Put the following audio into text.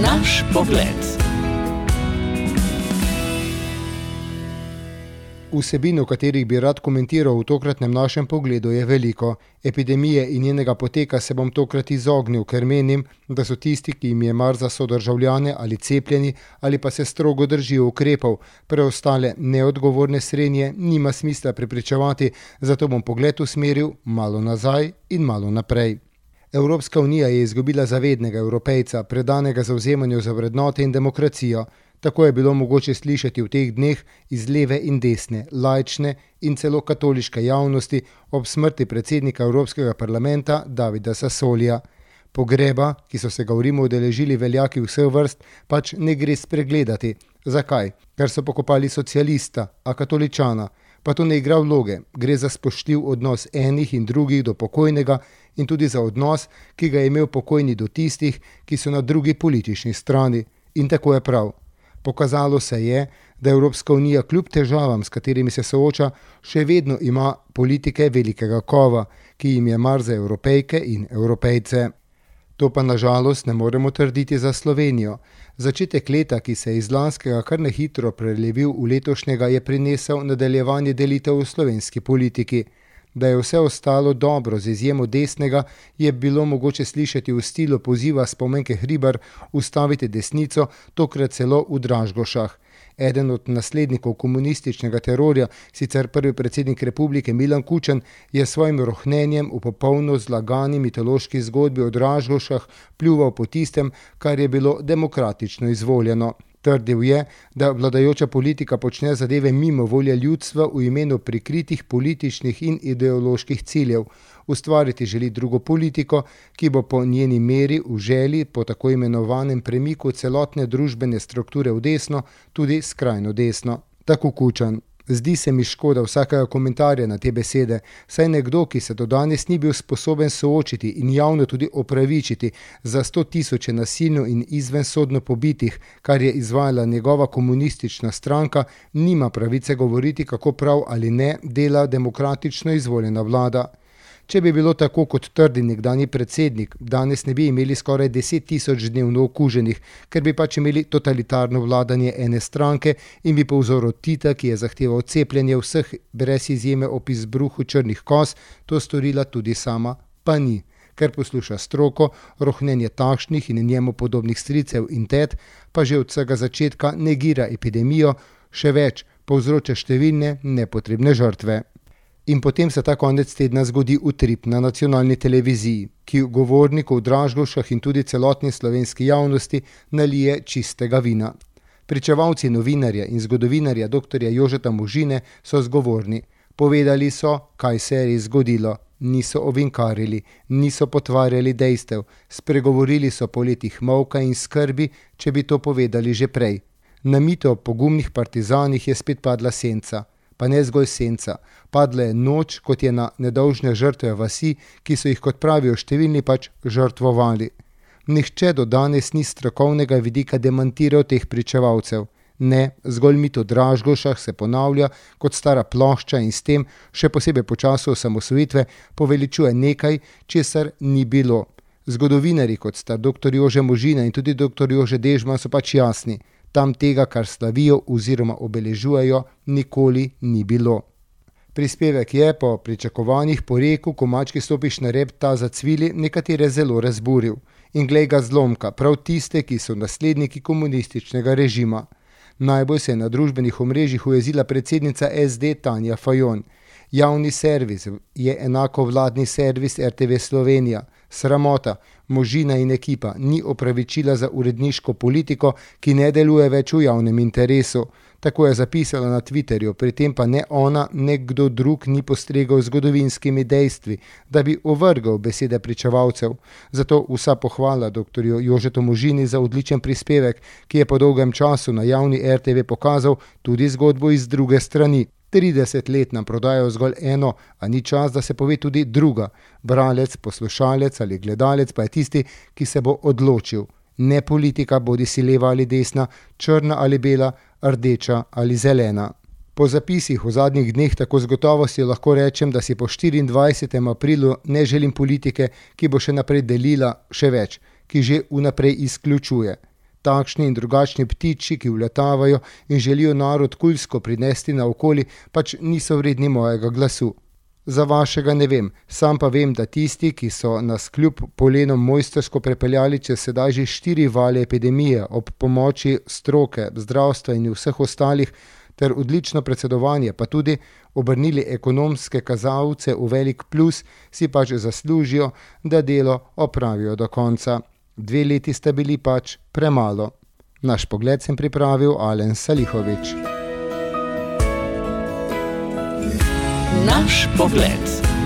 Naš pogled. Vsebin, o katerih bi rad komentiral v tokratnem našem pogledu, je veliko. Epidemije in njenega poteka se bom tokrat izognil, ker menim, da so tisti, ki jim je mar za sodržavljane ali cepljeni ali pa se strogo držijo ukrepov, preostale neodgovorne srenje nima smisla prepričevati, zato bom pogled usmeril malo nazaj in malo naprej. Evropska unija je izgubila zavednega Evropejca, predanega zavzemanju za vrednote in demokracijo. Tako je bilo mogoče slišati v teh dneh iz leve in desne, laične in celo katoliške javnosti ob smrti predsednika Evropskega parlamenta Davida Sassolija. Pogreba, ki so se ga v Rimu udeležili veljaki vseh vrst, pač ne gre spregledati. Zakaj? Ker so pokopali socialista, a katoličana. Pa to ne igra vloge, gre za spoštljiv odnos enih in drugih do pokojnega in tudi za odnos, ki ga je imel pokojni do tistih, ki so na drugi politični strani. In tako je prav. Pokazalo se je, da Evropska unija kljub težavam, s katerimi se sooča, še vedno ima politike velikega kova, ki jim je mar za Evropejke in Evropejce. To pa nažalost ne moremo trditi za Slovenijo. Začetek leta, ki se je iz lanskega kar nehitro prelevil v letošnjega, je prinesel nadaljevanje delitev v slovenski politiki. Da je vse ostalo dobro z izjemo desnega, je bilo mogoče slišati v stilu poziva Spomenke Hribar ustaviti desnico, tokrat celo v Dražgošah. Eden od naslednikov komunističnega terorja, sicer prvi predsednik republike Milan Kučan, je s svojim rohnenjem v popolno zlagani mitološki zgodbi o Dražgošah pljuval po tistem, kar je bilo demokratično izvoljeno. Trdil je, da vladajoča politika počne zadeve mimo volje ljudstva v imenu prikritih političnih in ideoloških ciljev. Ustvariti želi drugo politiko, ki bo po njeni meri v želji po tako imenovanem premiku celotne družbene strukture v desno, tudi skrajno desno. Tako Kučan. Zdi se mi škoda vsakega komentarja na te besede, saj nekdo, ki se do danes ni bil sposoben soočiti in javno tudi opravičiti za 100 000 nasilno in izvensodno pobitih, kar je izvajala njegova komunistična stranka, nima pravice govoriti, kako prav ali ne dela demokratično izvoljena vlada. Če bi bilo tako, kot trdi nekdanji predsednik, danes ne bi imeli skoraj 10 000 dnevno okuženih, ker bi pač imeli totalitarno vladanje ene stranke in bi po vzoru Tita, ki je zahteval cepljenje vseh brez izjeme ob izbruhu črnih koz, to storila tudi sama, pa ni. Ker posluša stroko, rohnenje takšnih in njemu podobnih stricev in tet, pa že od vsega začetka negira epidemijo, še več, povzroča številne nepotrebne žrtve. In potem se ta konec tedna zgodi utrip na nacionalni televiziji, ki govorniku v Dražgošah in tudi celotni slovenski javnosti nalije čistega vina. Pričevalci novinarja in zgodovinarja dr. Jožeta Možine so zgovorni. Povedali so, kaj se je res zgodilo. Niso ovinkarili, niso potvarjali dejstev, spregovorili so po letih molka in skrbi, če bi to povedali že prej. Na mito o pogumnih partizanih je spet padla senca. Pa ne zgolj senca, padla je noč, kot je na nedolžne žrtve vasi, ki so jih, kot pravijo številni, pač žrtvovali. Nihče do danes ni strokovnega vidika demantiral teh pričevalcev. Ne, zgolj mit o Dražgošah se ponavlja kot stara plošča in s tem, še posebej po času osamosvojitve, poveličuje nekaj, česar ni bilo. Zgodovinarji, kot sta dr. Jože Možina in tudi dr. Jože Dežman, so pač jasni. Tam tega, kar slavijo oziroma obeležujejo, nikoli ni bilo. Prispevek je po pričakovanjih po reku, ko mački stopiš na rep, ta zacvili, nekatere zelo razburil. In glej ga zlomka, prav tiste, ki so nasledniki komunističnega režima. Najbolj se je na družbenih omrežjih ujezila predsednica SD Tanja Fajon. Javni servis je enako vladni servis RTV Slovenija. Sramota, Možina in ekipa ni opravičila za uredniško politiko, ki ne deluje več v javnem interesu. Tako je zapisala na Twitterju, pri tem pa ne ona, ne kdo drug ni postregal zgodovinskimi dejstvi, da bi ovrgal besede pričevalcev. Zato vsa pohvala dr. Jožetu Možini za odličen prispevek, ki je po dolgem času na javni RTV pokazal tudi zgodbo iz druge strani. 30 let nam prodajajo zgolj eno, a ni čas, da se pove tudi druga. Bralec, poslušalec ali gledalec pa je tisti, ki se bo odločil. Ne politika, bodi si leva ali desna, črna ali bela, rdeča ali zelena. Po zapisih v zadnjih dneh tako z gotovostjo lahko rečem, da si po 24. aprilu ne želim politike, ki bo še naprej delila še več, ki že vnaprej izključuje. takšni in drugačni ptiči, ki vletavajo in želijo narod kulsko prinesti naokoli, pač niso vredni mojega glasu. Za vašega ne vem, sam pa vem, da tisti, ki so nas kljub polenom mojstrsko prepeljali čez sedaj že 4 vale epidemije ob pomoči stroke, zdravstva in vseh ostalih, ter odlično predsedovanje, pa tudi obrnili ekonomske kazalce v velik plus, si pač zaslužijo, da delo opravijo do konca. 2 leti sta bili pač premalo. Naš pogled sem pripravil Alen Salihović. Naš pogled.